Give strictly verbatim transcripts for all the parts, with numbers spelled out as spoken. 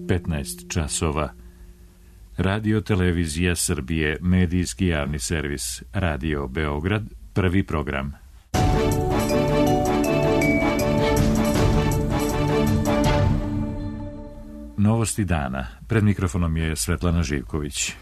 petnaest časova. Radio Televizija Srbije, medijski javni servis, Radio Beograd, prvi program. Novosti dana. Pred mikrofonom je Svetlana Živković.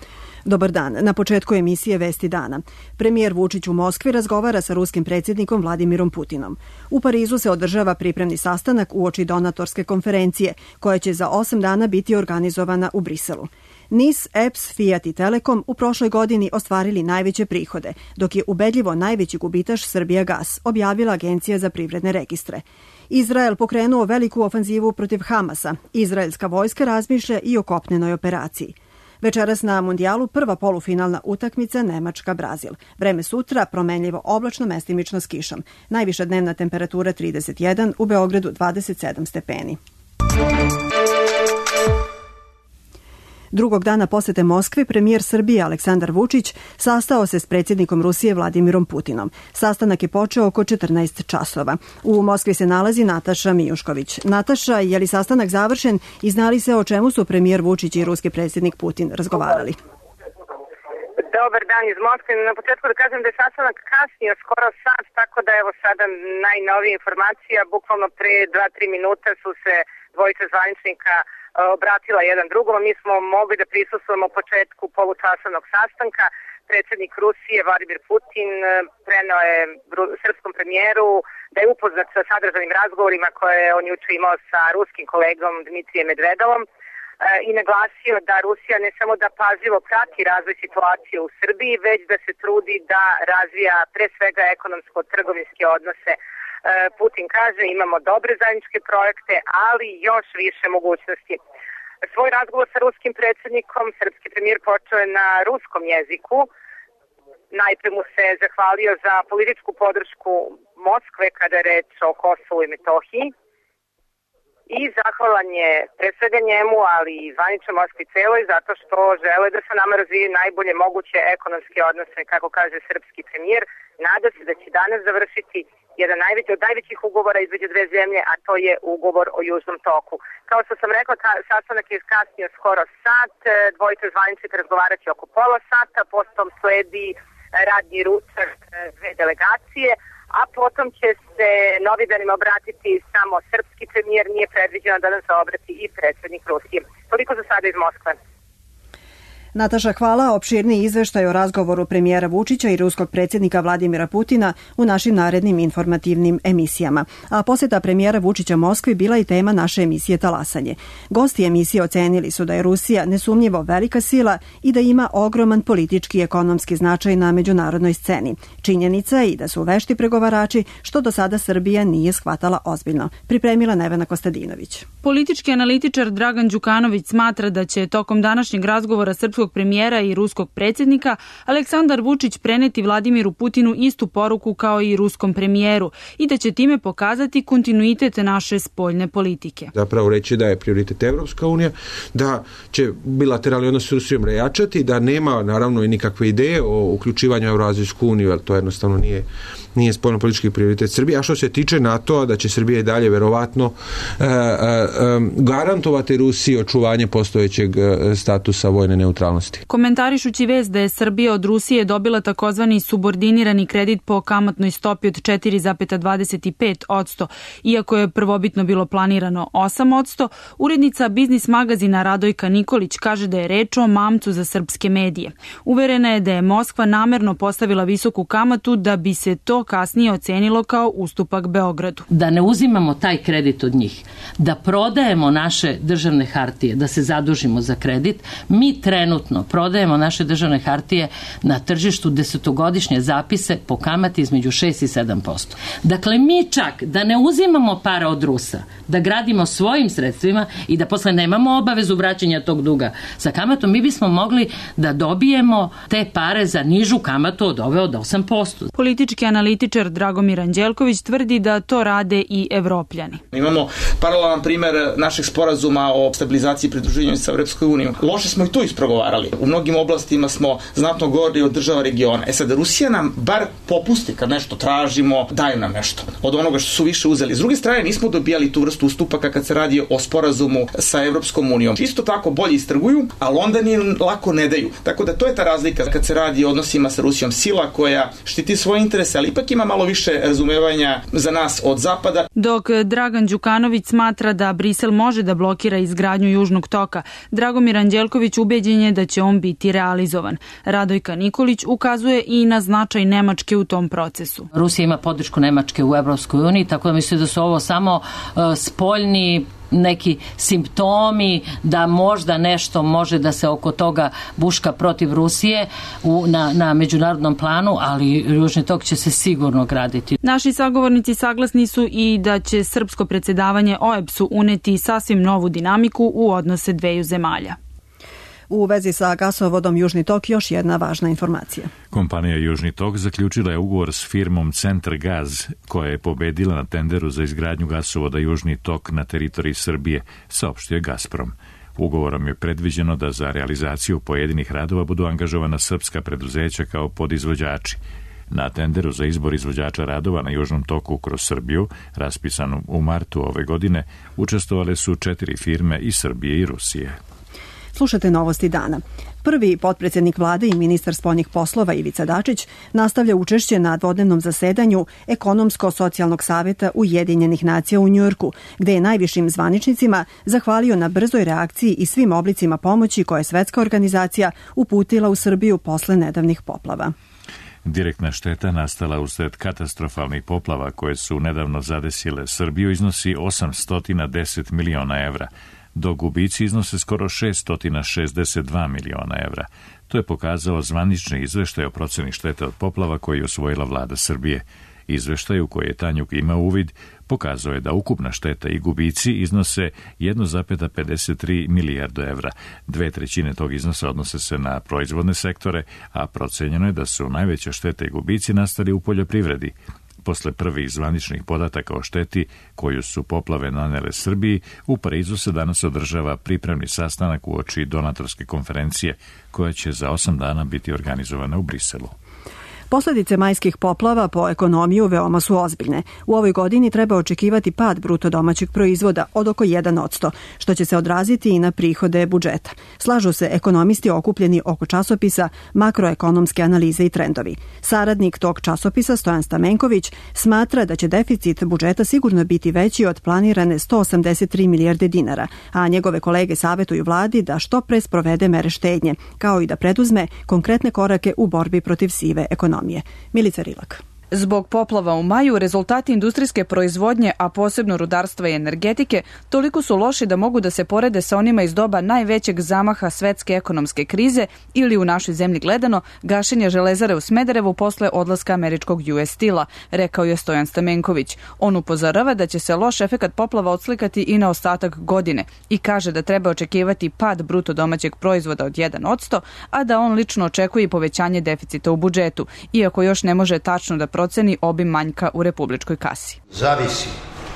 Dobar dan. Na početku emisije Vesti dana. Premijer Vučić u Moskvi razgovara sa ruskim predsjednikom Vladimirom Putinom. U Parizu se održava pripremni sastanak uoči donatorske konferencije, koja će za osam dana biti organizovana u Briselu. NIS, E P S, Fiat i Telekom u prošloj godini ostvarili najveće prihode, dok je ubedljivo najveći gubitaš Srbijagas, objavila Agencija za privredne registre. Izrael pokrenuo veliku ofanzivu protiv Hamasa. Izraelska vojska razmišlja i o kopnenoj operaciji. Večeras na mundijalu prva polufinalna utakmica Nemačka-Brazil. Vreme sutra promenljivo oblačno, mestimično s kišom. Najviša dnevna temperatura trideset jedan, u Beogradu dvadeset sedam stepeni. Drugog dana posete Moskvi premijer Srbije Aleksandar Vučić sastao se s predsjednikom Rusije Vladimirom Putinom. Sastanak je počeo oko četrnaest časova. U Moskvi se nalazi Nataša Mijušković. Nataša, je li sastanak završen i znali se o čemu su premijer Vučić i ruski predsjednik Putin razgovarali? Dobar dan iz Moskve. Na početku da kažem da je sastanak kasnio skoro sat, tako da evo sada najnovija informacija. Bukvalno pre dva tri minuta su se dvojica zvaničnika obratila jedan drugom. Mi smo mogli da prisustvujemo početku polučasovnog sastanka. Predsjednik Rusije Vladimir Putin preneo je srpskom premijeru da je upoznat sa sadržajnim razgovorima koje je on juče imao sa ruskim kolegom Dmitrijem Medvedovom i naglasio da Rusija ne samo da pažljivo prati razvoj situacije u Srbiji, već da se trudi da razvija pre svega ekonomsko-trgovinske odnose. Putin kaže imamo dobre zajedničke projekte, ali još više mogućnosti. Svoj razgovor sa ruskim predsjednikom srpski premijer počeo je na ruskom jeziku. Najpre mu se zahvalio za političku podršku Moskve kada je reč o Kosovu i Metohiji. I zahvalan je pre svega njemu, ali i zvaničnoj Moskvi celoj, zato što žele da sa nama razvije najbolje moguće ekonomske odnose, kako kaže srpski premijer. Nada se da će danas završiti jedan najveći, od najvećih ugovora između dve zemlje, a to je ugovor o Južnom toku. Kao što sam rekla, sastanak je kasnio skoro sat, dvojica zvaničnika razgovarat će oko pola sata, potom sledi radni ručak dve delegacije, a potom će se novinarima obratiti samo srpski premijer, nije predviđeno da nam se obrati i predsjednik Rusije. Toliko za sada iz Moskve. Nataša, hvala. Opširniji izveštaj o razgovoru premijera Vučića i ruskog predsjednika Vladimira Putina u našim narednim informativnim emisijama. A posjeta premijera Vučića Moskvi bila i tema naše emisije Talasanje. Gosti emisije ocenili su da je Rusija nesumnjivo velika sila i da ima ogroman politički i ekonomski značaj na međunarodnoj sceni. Činjenica je i da su vešti pregovarači, što do sada Srbija nije shvatala ozbiljno. Pripremila Nevena Kostadinović. Politički analitičar Dragan Đukanović smatra da će tokom današnjeg razgovora srpskog premijera i ruskog predsjednika Aleksandar Vučić preneti Vladimiru Putinu istu poruku kao i ruskom premijeru i da će time pokazati kontinuitet naše spoljne politike. Zapravo reći da je prioritet Evropska unija, da će bilateralni odnos s Rusijom rejačati, da nema naravno i nikakve ideje o uključivanju u Eurazijsku uniju, jer to jednostavno nije nije spoljnopolitički prioritet Srbije. A što se tiče NATO-a, da će Srbija i dalje verovatno e, e, garantovati Rusiji očuvanje postojećeg statusa vojne neutralnosti. Komentarišući vest da je Srbija od Rusije dobila takozvani subordinirani kredit po kamatnoj stopi od četiri zarez dvadeset pet posto, iako je prvobitno bilo planirano osam posto, urednica biznis magazina Radojka Nikolić kaže da je reč o mamcu za srpske medije. Uverena je da je Moskva namerno postavila visoku kamatu da bi se to kasnije ocenilo kao ustupak Beogradu. Da ne uzimamo taj kredit od njih, da prodajemo naše državne hartije, da se zadužimo za kredit. Mi trenutno prodajemo naše državne hartije na tržištu desetogodišnje zapise po kamati između šest i sedam posto. Dakle, mi čak da ne uzimamo para od Rusa, da gradimo svojim sredstvima i da posle nemamo obavezu vraćanja tog duga sa kamatom, mi bismo mogli da dobijemo te pare za nižu kamatu od ove od osam posto. Politički analitičar Dragomir Anđelković tvrdi da to rade i Evropljani. Imamo paralelan primer našeg sporazuma o stabilizaciji i pridruživanju sa Evropskoj unijom. Loše smo i tu isprogovarali. stvarali. U mnogim oblastima smo znatno gori od država regiona. E sad, Rusija nam bar popusti kad nešto tražimo, daju nam nešto od onoga što su više uzeli. S druge strane, nismo dobijali tu vrstu ustupaka kad se radi o sporazumu sa Evropskom unijom. Isto tako bolje istrguju, ali onda ni lako ne daju. Tako da to je ta razlika kad se radi o odnosima sa Rusijom. Sila koja štiti svoje interese, ali ipak ima malo više razumevanja za nas od zapada. Dok Dragan Đukanović smatra da Brisel može da blokira izgradnju Južnog toka, Dragomir Anđelković ubeđen je da će on biti realizovan. Radojka Nikolić ukazuje i na značaj Nemačke u tom procesu. Rusija ima podršku Nemačke u Evropskoj uniji, tako da mislim da su ovo samo uh, spoljni neki simptomi da možda nešto može da se oko toga buška protiv Rusije u, na, na međunarodnom planu, ali Južni tok će se sigurno graditi. Naši sagovornici saglasni su i da će srpsko predsjedavanje O E B S-u uneti sasvim novu dinamiku u odnose dveju zemalja. U vezi sa gasovodom Južni tok još jedna važna informacija. Kompanija Južni tok zaključila je ugovor s firmom Centar Gaz, koja je pobedila na tenderu za izgradnju gasovoda Južni tok na teritoriji Srbije, saopštio je Gazprom. Ugovorom je predviđeno da za realizaciju pojedinih radova budu angažovana srpska preduzeća kao podizvođači. Na tenderu za izbor izvođača radova na Južnom toku kroz Srbiju, raspisanu u martu ove godine, učestvovale su četiri firme iz Srbije i Rusije. Slušate novosti dana. Prvi potpredsjednik vlade i ministar spoljnih poslova Ivica Dačić nastavlja učešće na dvodnevnom zasedanju Ekonomsko-socijalnog saveta Ujedinjenih nacija u Njujorku, gde je najvišim zvaničnicima zahvalio na brzoj reakciji i svim oblicima pomoći koje je svetska organizacija uputila u Srbiju posle nedavnih poplava. Direktna šteta nastala usred katastrofalnih poplava koje su nedavno zadesile Srbiju iznosi osamsto deset miliona evra, dok gubici iznose skoro šeststo šezdeset dva miliona evra. To je pokazao zvanični izveštaj o proceni štete od poplava koji je osvojila vlada Srbije. Izveštaj u koji je Tanjug imao uvid pokazao je da ukupna šteta i gubici iznose jedan zarez pedeset tri milijardu evra. Dve trećine tog iznosa odnose se na proizvodne sektore, a procenjeno je da su najveće štete i gubici nastali u poljoprivredi. Posle prvih zvaničnih podataka o šteti koju su poplave nanele Srbiji, u Parizu se danas održava pripremni sastanak uoči donatorske konferencije koja će za osam dana biti organizovana u Briselu. Posledice majskih poplava po ekonomiju veoma su ozbiljne. U ovoj godini treba očekivati pad bruto domaćeg proizvoda od oko jedan posto, što će se odraziti i na prihode budžeta. Slažu se ekonomisti okupljeni oko časopisa Makroekonomske analize i trendovi. Saradnik tog časopisa Stojan Stamenković smatra da će deficit budžeta sigurno biti veći od planirane sto osamdeset tri milijarde dinara, a njegove kolege savetuju vladi da što pre sprovede mere štednje, kao i da preduzme konkretne korake u borbi protiv sive ekonomije. Milica Rilak. Zbog poplava u maju, rezultati industrijske proizvodnje, a posebno rudarstva i energetike, toliko su loši da mogu da se porede sa onima iz doba najvećeg zamaha svetske ekonomske krize ili u našoj zemlji gledano gašenje železare u Smederevu posle odlaska američkog U S Steel-a, rekao je Stojan Stamenković. On upozorava da će se loš efekat poplava odslikati i na ostatak godine i kaže da treba očekivati pad bruto domaćeg proizvoda od jedan posto, a da on lično očekuje povećanje deficita u budžetu, iako još ne može tačno da proceni obim manjka u republičkoj kasi. Zavisi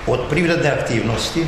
od privredne aktivnosti,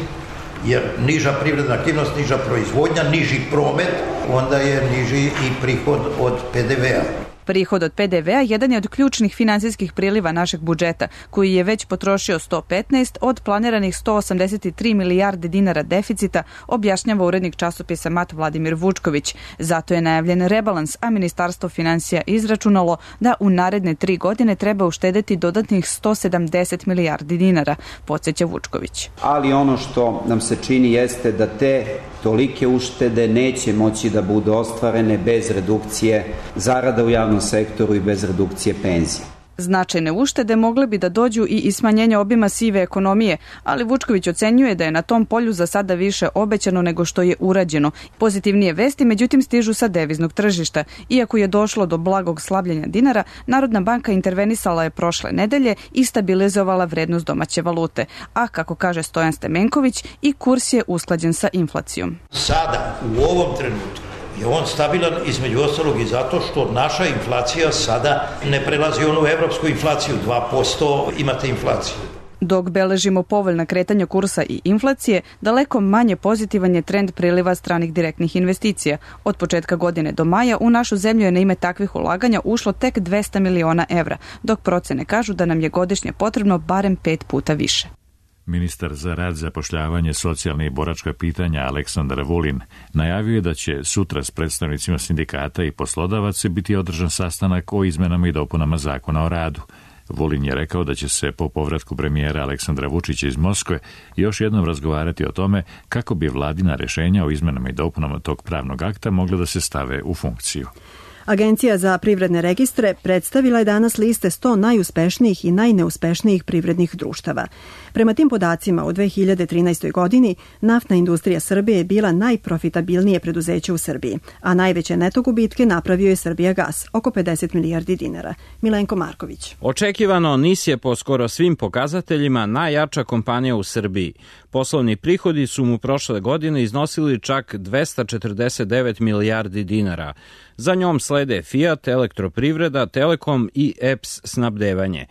jer niža privredna aktivnost, niža proizvodnja, niži promet, onda je niži i prihod od P D V-a. Prihod od P D V-a jedan je od ključnih finansijskih priliva našeg budžeta, koji je već potrošio sto petnaest od planiranih sto osamdeset tri milijarde dinara deficita, objašnjava urednik časopisa Mat Vladimir Vučković. Zato je najavljen rebalans, a Ministarstvo finansija izračunalo da u naredne tri godine treba uštedeti dodatnih sto sedamdeset milijardi dinara, podsjeća Vučković. Ali ono što nam se čini jeste da te tolike uštede neće moći da budu ostvarene bez redukcije zarada u javnom sektoru i bez redukcije penzija. Značajne uštede mogle bi da dođu i iz smanjenja obima sive ekonomije, ali Vučković ocenjuje da je na tom polju za sada više obećano nego što je urađeno. Pozitivnije vesti, međutim, stižu sa deviznog tržišta. Iako je došlo do blagog slabljenja dinara, Narodna banka intervenisala je prošle nedelje i stabilizovala vrednost domaće valute. A, kako kaže Stojan Stamenković, i kurs je usklađen sa inflacijom. Sada, u ovom trenutku, je on stabilan između ostalog i zato što naša inflacija sada ne prelazi onu evropsku inflaciju, dva posto imate inflaciju. Dok beležimo povoljna kretanja kursa i inflacije, daleko manje pozitivan je trend priliva stranih direktnih investicija. Od početka godine do maja u našu zemlju je na ime takvih ulaganja ušlo tek dvesta miliona evra, dok procene kažu da nam je godišnje potrebno barem pet puta više. Ministar za rad, zapošljavanje, socijalne i boračka pitanja Aleksandar Vulin najavio je da će sutra s predstavnicima sindikata i poslodavaca biti održan sastanak o izmenama i dopunama zakona o radu. Vulin je rekao da će se po povratku premijera Aleksandra Vučića iz Moskve još jednom razgovarati o tome kako bi vladina rešenja o izmenama i dopunama tog pravnog akta mogla da se stave u funkciju. Agencija za privredne registre predstavila je danas liste sto najuspešnijih i najneuspešnijih privrednih društava. Prema tim podacima, u dve hiljade trinaestoj. godini naftna industrija Srbije je bila najprofitabilnije preduzeće u Srbiji, a najveće neto gubitke napravio je Srbijagas, oko pedeset milijardi dinara. Milenko Marković. Očekivano, N I S je po skoro svim pokazateljima najjača kompanija u Srbiji. Poslovni prihodi su mu prošle godine iznosili čak dvesta četrdeset devet milijardi dinara. Za njom slede Fiat, Elektroprivreda, Telekom i E P S snabdevanje.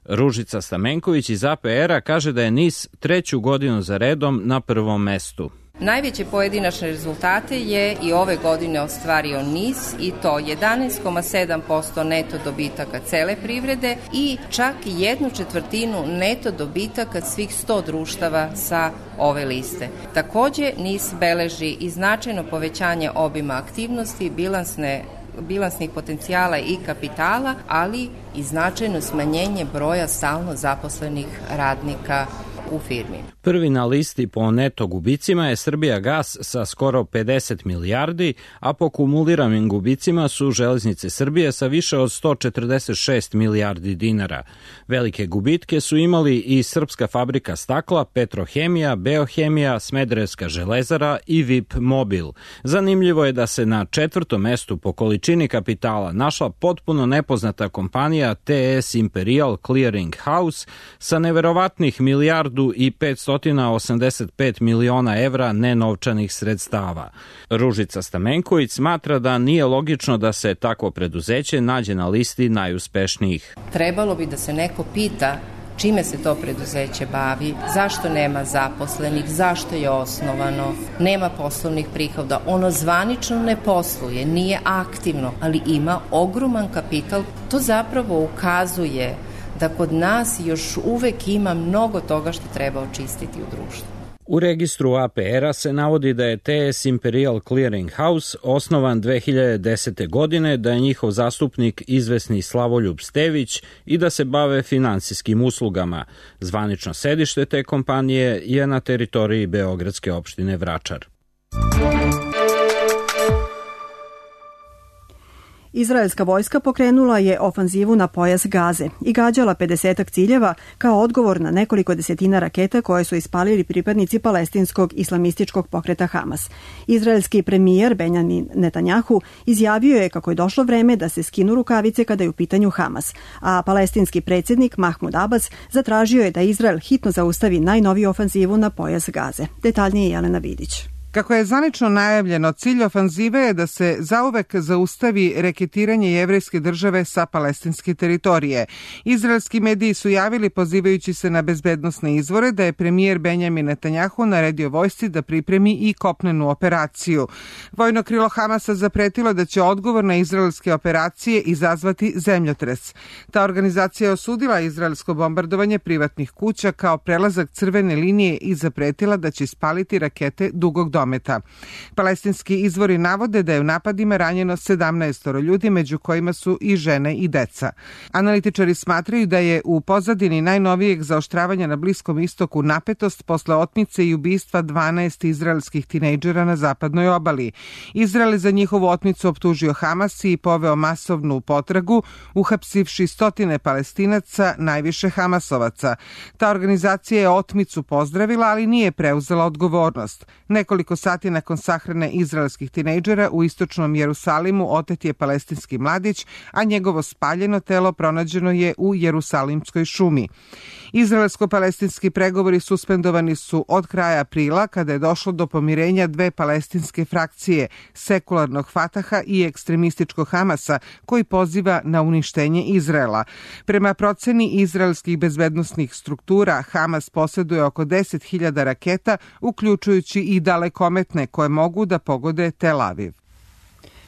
Ružica Stamenković iz A P R-a kaže da je N I S treću godinu za redom na prvom mestu. Najveće pojedinačne rezultate je i ove godine ostvario N I S i to jedanaest zarez sedam posto neto dobitaka cele privrede i čak jednu četvrtinu neto dobitaka svih sto društava sa ove liste. Takođe, N I S beleži i značajno povećanje obima aktivnosti, bilansne bilansnih potencijala i kapitala, ali i značajno smanjenje broja stalno zaposlenih radnika u firmi. Prvi na listi po neto gubicima je Srbijagas sa skoro pedeset milijardi, a po kumuliranim gubicima su Železnice Srbije sa više od sto četrdeset šest milijardi dinara. Velike gubitke su imali i Srpska fabrika stakla, Petrohemija, Beohemija, Smederevska železara i V I P Mobil. Zanimljivo je da se na četvrtom mestu po količini kapitala našla potpuno nepoznata kompanija T S Imperial Clearing House sa neverovatnih milijardu i petsto osamdeset pet miliona evra nenovčanih sredstava. Ružica Stamenković smatra da nije logično da se takvo preduzeće nađe na listi najuspešnijih. Trebalo bi da se neko pita čime se to preduzeće bavi, zašto nema zaposlenih, zašto je osnovano, nema poslovnih prihoda, ono zvanično ne posluje, nije aktivno, ali ima ogroman kapital. To zapravo ukazuje da kod nas još uvek ima mnogo toga što treba očistiti u društvu. U registru A P R-a se navodi da je T S Imperial Clearing House osnovan dve hiljade desete. godine, da je njihov zastupnik izvesni Slavoljub Stević i da se bave finansijskim uslugama. Zvanično sedište te kompanije je na teritoriji beogradske opštine Vračar. Izraelska vojska pokrenula je ofanzivu na pojas Gaze i gađala pedesetak ciljeva kao odgovor na nekoliko desetina raketa koje su ispalili pripadnici palestinskog islamističkog pokreta Hamas. Izraelski premijer Benjamin Netanjahu izjavio je kako je došlo vreme da se skinu rukavice kada je u pitanju Hamas, a palestinski predsjednik Mahmud Abbas zatražio je da Izrael hitno zaustavi najnoviju ofanzivu na pojas Gaze. Detaljnije Jelena Vidić. Kako je zvanično najavljeno, cilj ofanzive je da se zauvek zaustavi reketiranje jevrejske države sa palestinske teritorije. Izraelski mediji su javili, pozivajući se na bezbednosne izvore, da je premijer Benjamin Netanjahu naredio vojsci da pripremi i kopnenu operaciju. Vojno krilo Hamasa zapretilo da će odgovor na izraelske operacije izazvati zemljotres. Ta organizacija je osudila izraelsko bombardovanje privatnih kuća kao prelazak crvene linije i zapretila da će ispaliti rakete dugog dometa. Palestinski izvori navode da je u napadima ranjeno sedamnaest ljudi, među kojima su i žene i deca. Analitičari smatraju da je u pozadini najnovijeg zaoštravanja na Bliskom istoku napetost posle otmice i ubistva dvanaest izraelskih tinejdžera na zapadnoj obali. Izrael je za njihovu otmicu optužio Hamas i poveo masovnu potragu, uhapsivši stotine Palestinaca, najviše Hamasovaca. Ta organizacija je otmicu pozdravila, ali nije preuzela odgovornost. Nekoliko Nekoliko sati nakon sahrane izraelskih tinejdžera u istočnom Jerusalimu otet je palestinski mladić, a njegovo spaljeno telo pronađeno je u Jerusalimskoj šumi. Izraelsko-palestinski pregovori suspendovani su od kraja aprila, kada je došlo do pomirenja dve palestinske frakcije, sekularnog Fataha i ekstremističkog Hamasa, koji poziva na uništenje Izraela. Prema proceni izraelskih bezbednosnih struktura, Hamas posjeduje oko deset hiljada raketa, uključujući i dalekometne koje mogu da pogode Tel Aviv.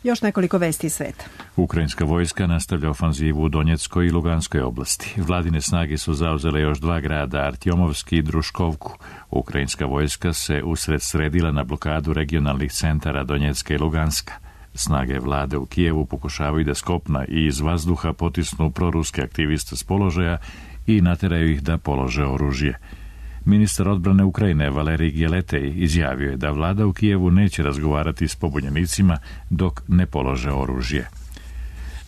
Još nekoliko vesti iz sveta. Ukrajinska vojska nastavlja ofanzivu u Donjeckoj i Luganskoj oblasti. Vladine snage su zauzele još dva grada, Artjomovski i Druškovku. Ukrajinska vojska se usred sredila na blokadu regionalnih centara Donjecka i Luganska. Snage vlade u Kijevu pokušavaju da s kopna i iz vazduha potisnu proruske aktiviste s položaja i nateraju ih da polože oružje. Ministar odbrane Ukrajine Valerij Gjeletej izjavio je da vlada u Kijevu neće razgovarati s pobunjenicima dok ne polože oružje.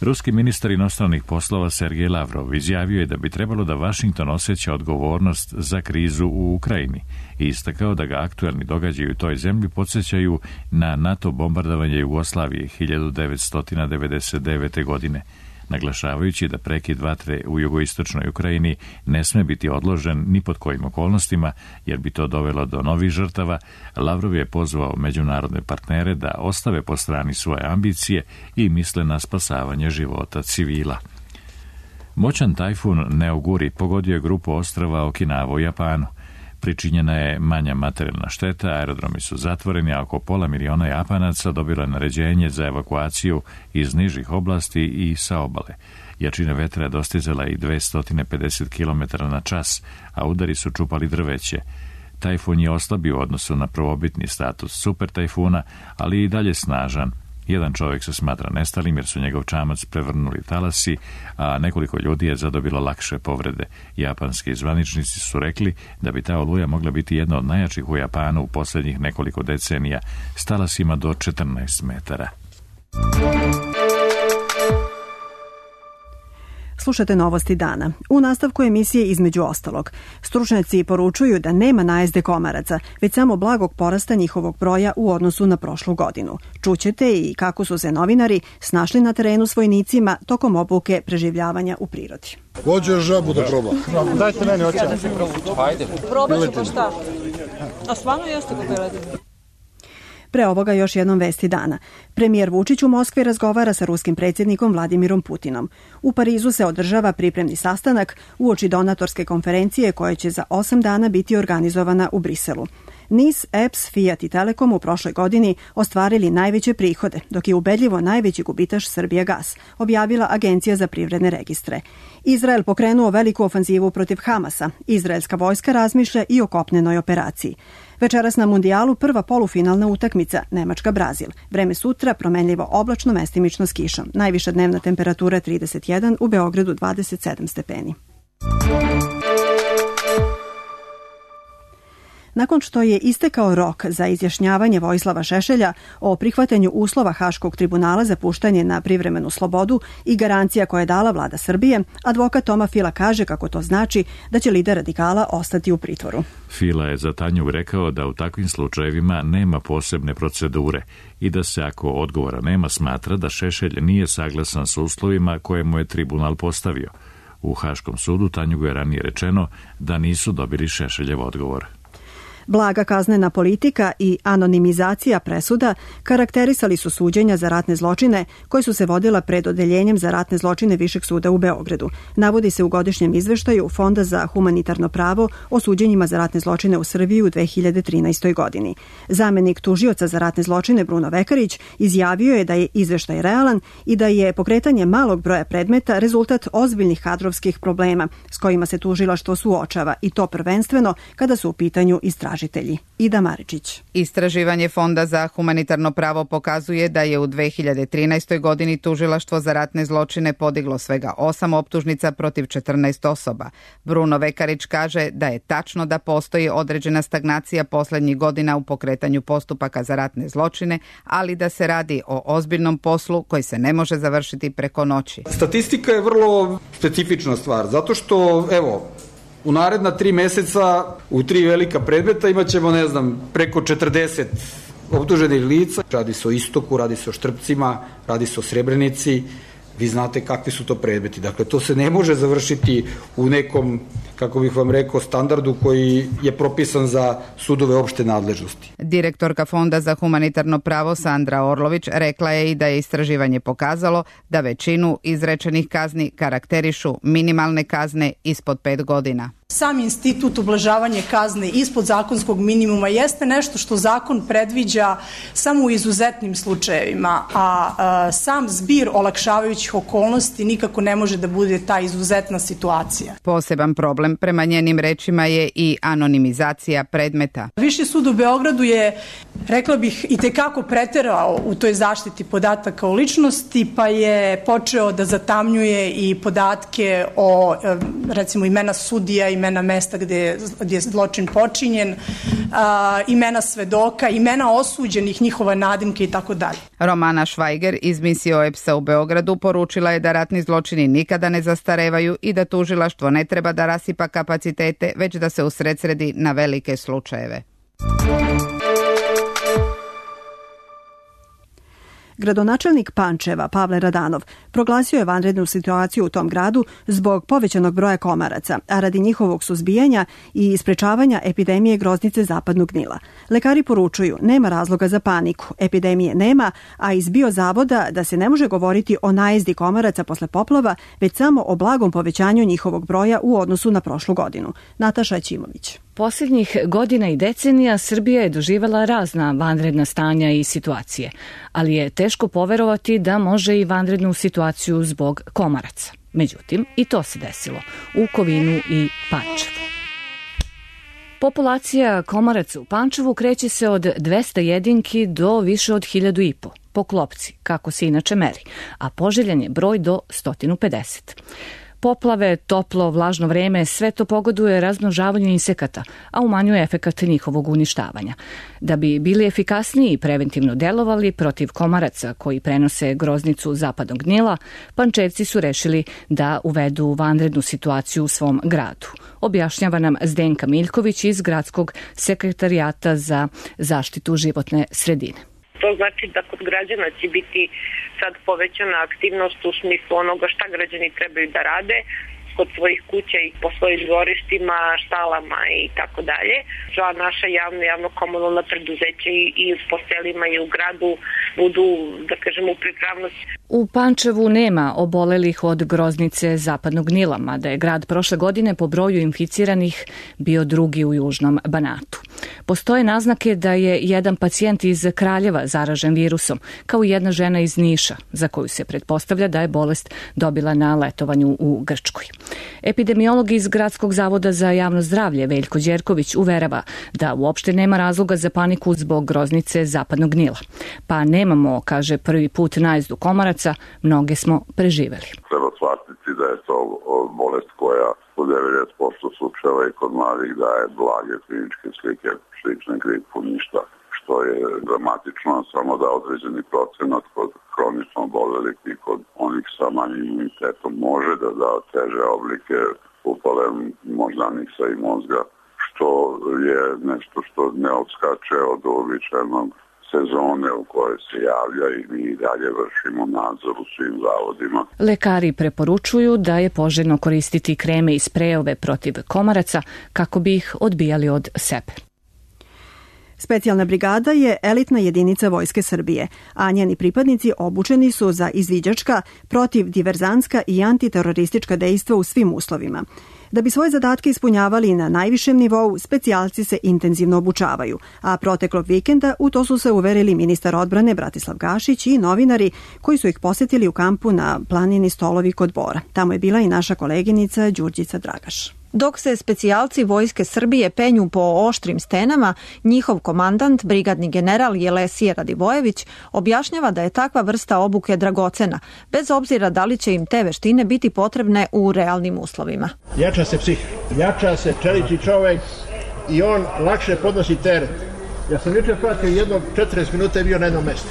Ruski ministar inostranih poslova Sergej Lavrov izjavio je da bi trebalo da Vašington osjeća odgovornost za krizu u Ukrajini i istakao da ga aktuelni događaji u toj zemlji podsjećaju na NATO bombardovanje Jugoslavije hiljadu devetsto devedeset devete. godine, naglašavajući da prekid vatre u jugoistočnoj Ukrajini ne sme biti odložen ni pod kojim okolnostima, jer bi to dovelo do novih žrtava. Lavrov je pozvao međunarodne partnere da ostave po strani svoje ambicije i misle na spasavanje života civila. Moćan tajfun Neoguri pogodio je grupu ostrava Okinawa u Japanu. Pričinjena je manja materijalna šteta, aerodromi su zatvoreni, a oko pola miliona Japanaca dobilo je naređenje za evakuaciju iz nižih oblasti i sa obale. Jačina vetra je dostizala i dvesta pedeset kilometara na čas, a udari su čupali drveće. Tajfun je oslabio u odnosu na prvobitni status super tajfuna, ali i dalje snažan. Jedan čovjek se smatra nestalim jer su njegov čamac prevrnuli talasi, a nekoliko ljudi je zadobilo lakše povrede. Japanski zvaničnici su rekli da bi ta oluja mogla biti jedna od najjačih u Japanu u posljednjih nekoliko decenija, s talasima do četrnaest metara. Slušate novosti dana. U nastavku emisije između ostalog, stručnjaci poručuju da nema najezde komaraca, već samo blagog porasta njihovog broja u odnosu na prošlu godinu. Čućete i kako su se novinari snašli na terenu s vojnicima tokom obuke preživljavanja u prirodi. Hoćeš žabu da proba? Dajte meni oče. Hajde. Probat ću pa šta? A stvarno jeste ga beledine? Pre ovoga još jednom vesti dana. Premijer Vučić u Moskvi razgovara sa ruskim predsjednikom Vladimirom Putinom. U Parizu se održava pripremni sastanak uoči donatorske konferencije koja će za osam dana biti organizovana u Briselu. NIS, E P S, Fiat i Telekom u prošloj godini ostvarili najveće prihode, dok je ubedljivo najveći gubitaš Srbijagas, objavila Agencija za privredne registre. Izrael pokrenuo veliku ofanzivu protiv Hamasa. Izraelska vojska razmišlja i o kopnenoj operaciji. Večeras na mundijalu prva polufinalna utakmica Nemačka-Brazil. Vreme sutra promenljivo oblačno, mestimično s kišom. Najviša dnevna temperatura trideset jedan, u Beogradu dvadeset sedam stepeni. Nakon što je istekao rok za izjašnjavanje Vojislava Šešelja o prihvatanju uslova Haškog tribunala za puštanje na privremenu slobodu i garancija koje je dala vlada Srbije, advokat Toma Fila kaže kako to znači da će lider radikala ostati u pritvoru. Fila je za Tanju rekao da u takvim slučajevima nema posebne procedure i da se ako odgovora nema smatra da Šešelj nije saglasan sa uslovima koje mu je tribunal postavio. U Haškom sudu Tanjugu je ranije rečeno da nisu dobili Šešeljev odgovor. Blaga kaznena politika i anonimizacija presuda karakterisali su suđenja za ratne zločine koje su se vodila pred odeljenjem za ratne zločine Višeg suda u Beogradu. Navodi se u godišnjem izveštaju Fonda za humanitarno pravo o suđenjima za ratne zločine u Srbiji u dve hiljade trinaestoj. godini. Zamenik tužioca za ratne zločine Bruno Vekarić izjavio je da je izveštaj realan i da je pokretanje malog broja predmeta rezultat ozbiljnih kadrovskih problema s kojima se tužilaštvo suočava, i to prvenstveno kada su u pitanju istražitelji. Ida Maričić. Istraživanje Fonda za humanitarno pravo pokazuje da je u dve hiljade trinaestoj. godini tužilaštvo za ratne zločine podiglo svega osam optužnica protiv četrnaest osoba. Bruno Vekarić kaže da je tačno da postoji određena stagnacija poslednjih godina u pokretanju postupaka za ratne zločine, ali da se radi o ozbiljnom poslu koji se ne može završiti preko noći. Statistika je vrlo specifična stvar, zato što, evo, u naredna tri meseca u tri velika predmeta imat ćemo, ne znam, preko četrdeset optuženih lica. Radi se o Istoku, radi se o Štrpcima, radi se o Srebrenici. Vi znate kakvi su to predmeti. Dakle, to se ne može završiti u nekom, kako bih vam rekao, standardu koji je propisan za sudove opšte nadležnosti. Direktorka Fonda za humanitarno pravo Sandra Orlović rekla je i da je istraživanje pokazalo da većinu izrečenih kazni karakterišu minimalne kazne ispod pet godina. Sam institut ublažavanja kazne ispod zakonskog minimuma jeste nešto što zakon predviđa samo u izuzetnim slučajevima, a, a sam zbir olakšavajućih okolnosti nikako ne može da bude ta izuzetna situacija. Poseban problem prema njenim rečima je i anonimizacija predmeta. Viši sud u Beogradu je, rekla bih, i tekako preterao u toj zaštiti podataka o ličnosti, pa je počeo da zatamnjuje i podatke o, recimo, imena sudija, imena mesta gde je, gde je zločin počinjen, a, imena svedoka, imena osuđenih, njihova nadimke i tako dalje. Romana Švajger iz misije O E P S-a u Beogradu poručila je da ratni zločini nikada ne zastarevaju i da tužilaštvo ne treba da rasipa kapacitete, već da se usredsredi na velike slučajeve. Gradonačelnik Pančeva, Pavle Radanov, proglasio je vanrednu situaciju u tom gradu zbog povećanog broja komaraca, a radi njihovog suzbijanja i sprečavanja epidemije groznice zapadnog Nila. Lekari poručuju, nema razloga za paniku, epidemije nema, a iz biozavoda da se ne može govoriti o najezdi komaraca posle poplava, već samo o blagom povećanju njihovog broja u odnosu na prošlu godinu. Nataša Ćimović. Posljednjih godina i decenija Srbija je doživala razna vanredna stanja i situacije, ali je teško poverovati da može i vanrednu situaciju zbog komaraca. Međutim, i to se desilo u Kovinu i Pančevu. Populacija komaraca u Pančevu kreće se od dvesta jedinki do više od hiljadu i po po klopci, kako se inače meri, a poželjan je broj do sto pedeset. Poplave, toplo, vlažno vreme, sve to pogoduje razmnožavanju insekata, a umanjuje efekat njihovog uništavanja. Da bi bili efikasniji i preventivno delovali protiv komaraca koji prenose groznicu zapadnog Nila, Pančevci su rešili da uvedu vanrednu situaciju u svom gradu. Objašnjava nam Zdenka Miljković iz Gradskog sekretarijata za zaštitu životne sredine. To znači da kod građana će biti sad povećana aktivnost u smislu onoga šta građani trebaju da rade kod svojih kuća i po svojim dvorištima, štalama i tako dalje. Za naša javna, javno-komunalna preduzeća i, i po selima i u gradu budu, da kažemo, u pripravnosti. U Pančevu nema obolelih od groznice zapadnog Nila, mada je grad prošle godine po broju inficiranih bio drugi u Južnom Banatu. Postoje naznake da je jedan pacijent iz Kraljeva zaražen virusom, kao i jedna žena iz Niša, za koju se pretpostavlja da je bolest dobila na letovanju u Grčkoj. Epidemiolog iz Gradskog zavoda za javno zdravlje Veljko Đerković uverava da uopšte nema razloga za paniku zbog groznice zapadnog Nila. Pa nemamo, kaže, prvi put najezdu komaraca, mnoge smo preživeli. Treba shvatiti da je to bolest koja u devedeset posto slučajeva i kod mladih daje blage kliničke slike, slične gripu, ništa što je dramatično, samo da određeni procenat kod hronično obolelih i kod onih sa manjim imunitetom može da da teže oblike upale moždanica i mozga, što je nešto što ne odskače od uobičajenog sezone u kojoj se javlja i mi dalje vršimo nadzor u svim zavodima. Lekari preporučuju da je poželjno koristiti kreme i sprejove protiv komaraca kako bi ih odbijali od sebe. Specijalna brigada je elitna jedinica Vojske Srbije, a njeni pripadnici obučeni su za izviđačka, protivdiverzantska i antiteroristička dejstva u svim uslovima. Da bi svoje zadatke ispunjavali na najvišem nivou, specijalci se intenzivno obučavaju, a proteklog vikenda u to su se uverili ministar odbrane Bratislav Gašić i novinari koji su ih posetili u kampu na planini Stolovi kod Bora. Tamo je bila i naša koleginica Đurđica Dragaš. Dok se specijalci Vojske Srbije penju po oštrim stenama, njihov komandant, brigadni general Jelesije Radivojević, objašnjava da je takva vrsta obuke dragocena, bez obzira da li će im te veštine biti potrebne u realnim uslovima. Jača se psih, jača se čeliči čovek i on lakše podnosi teret. Ja sam jučer pratio jednog četrdeset minuta je bio na jednom mestu.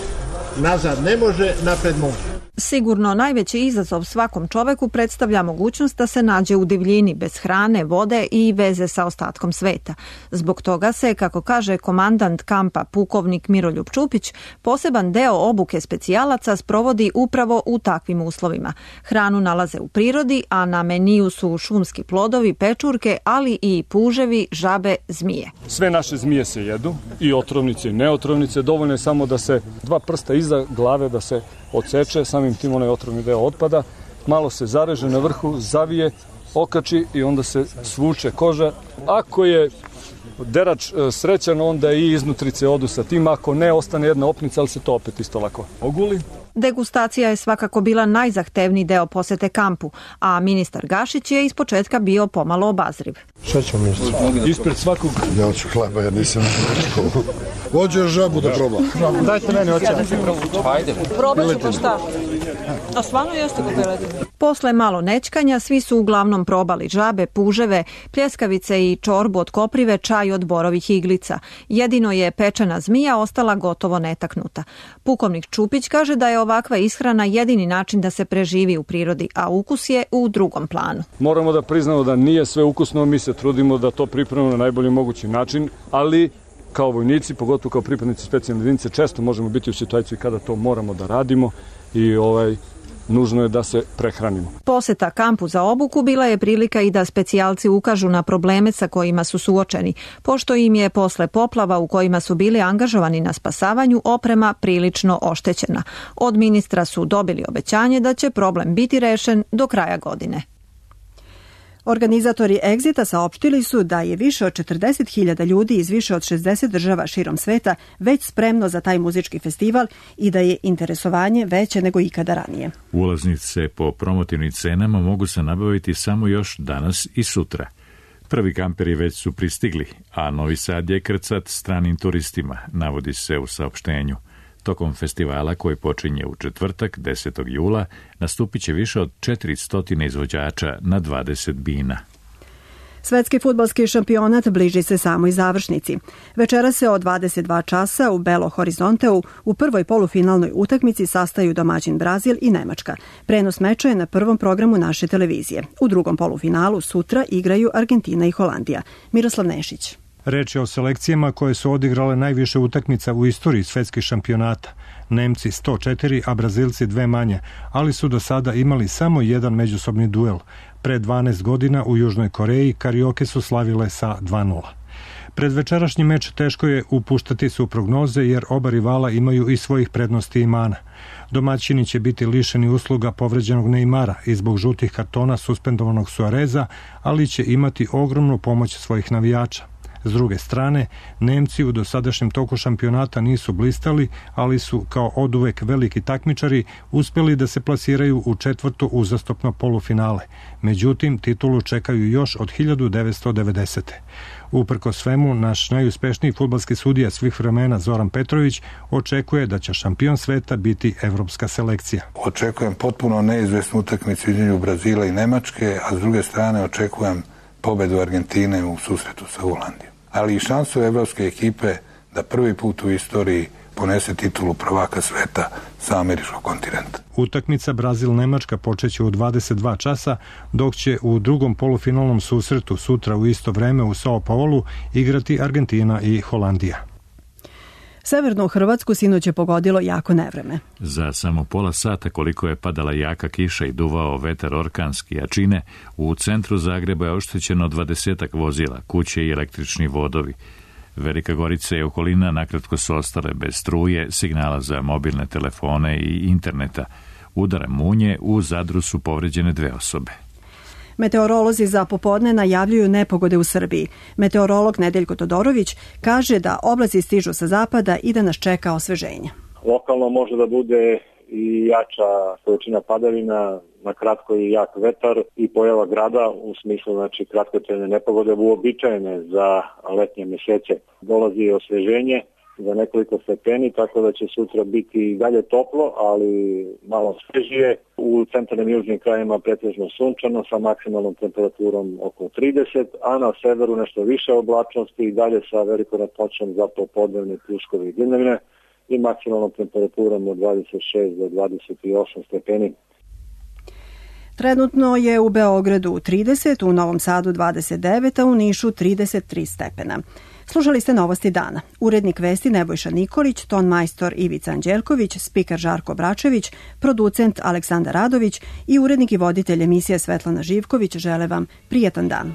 Nazad ne može, napred može. Sigurno najveći izazov svakom čoveku predstavlja mogućnost da se nađe u divljini bez hrane, vode i veze sa ostatkom sveta. Zbog toga se, kako kaže komandant kampa pukovnik Miroljub Čupić, poseban deo obuke specijalaca sprovodi upravo u takvim uslovima. Hranu nalaze u prirodi, a na meniju su šumski plodovi, pečurke, ali i puževi, žabe, zmije. Sve naše zmije se jedu, i otrovnice i neotrovnice. Dovoljno je samo da se dva prsta iza glave da se odseče, samim tim onaj otrovni deo otpada, malo se zareže na vrhu, zavije, okači i onda se svuče koža. Ako je derač srećan, onda i iznutrice odu sa tim, ako ne, ostane jedna opnica, ali se to opet isto lako oguli. Degustacija je svakako bila najzahtevniji deo posete kampu, a ministar Gašić je ispočetka bio pomalo obazriv. Šta ćemo ministar? Ispred svakog... Ja hoću hleba, jer nisam nešto. Hoću žabu da probam. Dajte meni oće. Hajde. Probat ću pa šta? A stvarno jeste ga beledine? Posle malo nećkanja, svi su uglavnom probali žabe, puževe, pljeskavice i čorbu od koprive, čaj od borovih iglica. Jedino je pečena zmija ostala gotovo netaknuta. Pukovnik Čupić kaže da je ovakva ishrana jedini način da se preživi u prirodi, a ukus je u drugom planu. Moramo da priznamo da nije sve ukusno, mi se trudimo da to pripremimo na najbolji mogući način, ali kao vojnici, pogotovo kao pripadnici specijalne jedinice, često možemo biti u situaciji kada to moramo da radimo i ovaj nužno je da se prehranimo. Poseta kampu za obuku bila je prilika i da specijalci ukažu na probleme sa kojima su suočeni, pošto im je posle poplava u kojima su bili angažovani na spasavanju oprema prilično oštećena. Od ministra su dobili obećanje da će problem biti rešen do kraja godine. Organizatori Exita saopštili su da je više od četrdeset hiljada ljudi iz više od šezdeset država širom sveta već spremno za taj muzički festival i da je interesovanje veće nego ikada ranije. Ulaznice po promotivnim cenama mogu se nabaviti samo još danas i sutra. Prvi kamperi već su pristigli, a Novi Sad je krcat stranim turistima, navodi se u saopštenju. Tokom festivala koji počinje u četvrtak, desetog jula, nastupit će više od četiristo izvođača na dvadeset bina. Svetski fudbalski šampionat bliži se samoj završnici. Večera se od dvadeset dva časa u Belo Horizonteu u prvoj polufinalnoj utakmici sastaju domaćin Brazil i Nemačka. Prenos meča je na prvom programu naše televizije. U drugom polufinalu sutra igraju Argentina i Holandija. Miroslav Nešić. Reč je o selekcijama koje su odigrale najviše utakmica u istoriji svetskih šampionata. Nemci sto četiri, a Brazilci dve manje, ali su do sada imali samo jedan međusobni duel. Pre dvanaest godina u Južnoj Koreji Karioke su slavile sa dva nula. Pred večerašnji meč teško je upuštati se u prognoze jer oba rivala imaju i svojih prednosti i mana. Domaćini će biti lišeni usluga povređenog Neymara i zbog žutih kartona suspendovanog Suareza, ali će imati ogromnu pomoć svojih navijača. S druge strane, Nemci u dosadašnjem toku šampionata nisu blistali, ali su kao oduvek veliki takmičari uspjeli da se plasiraju u četvrto uzastopno polufinale. Međutim, titulu čekaju još od hiljadu devetsto devedesete. Uprko svemu, naš najuspešniji fudbalski sudija svih vremena Zoran Petrović očekuje da će šampion sveta biti evropska selekcija. Očekujem potpuno neizvesnu utakmicu između Brazila i Nemačke, a s druge strane očekujem pobedu Argentine u susretu sa Holandijom. Ali i šansu evropske ekipe da prvi put u istoriji ponese titulu prvaka sveta sa američkog kontinenta. Utakmica Brazil-Nemačka počeće u dvadeset dva časa, dok će u drugom polufinalnom susretu sutra u isto vreme u Sao Paulu igrati Argentina i Holandija. Severnu Hrvatsku sinoć je pogodilo jako nevreme. Za samo pola sata koliko je padala jaka kiša i duvao vetar orkanski jačine, u centru Zagreba je oštećeno dvadesetak vozila, kuće i električni vodovi. Velika Gorica i okolina nakratko su ostale bez struje, signala za mobilne telefone i interneta. Udara munje, u Zadru su povređene dve osobe. Meteorolozi za popodne najavljuju nepogode u Srbiji. Meteorolog Nedeljko Todorović kaže da oblaci stižu sa zapada i da nas čeka osveženje. Lokalno može da bude i jača količina padavina, na kratko i jak vetar i pojava grada u smislu znači kratkotrajne nepogode uobičajene za letnje mesece. Dolazi osveženje za nekoliko stepeni, tako da će sutra biti i dalje toplo, ali malo svežije. U centralnim i južnim krajima pretežno sunčano sa maksimalnom temperaturom oko trideset, a na severu nešto više oblačnosti i dalje sa velikom ratnoćom za popodnevne pljuskovi i dnevne. i maksimalnom temperaturom od dvadeset šest do dvadeset osam stepeni. Trenutno je u Beogradu trideset, u Novom Sadu dvadeset devet, a u Nišu trideset tri stepena. Slušali ste Novosti dana. Urednik vesti Nebojša Nikolić, ton majstor Ivica Anđelković, spiker Žarko Bračević, producent Aleksandar Radović i urednik i voditelj emisije Svetlana Živković žele vam prijetan dan.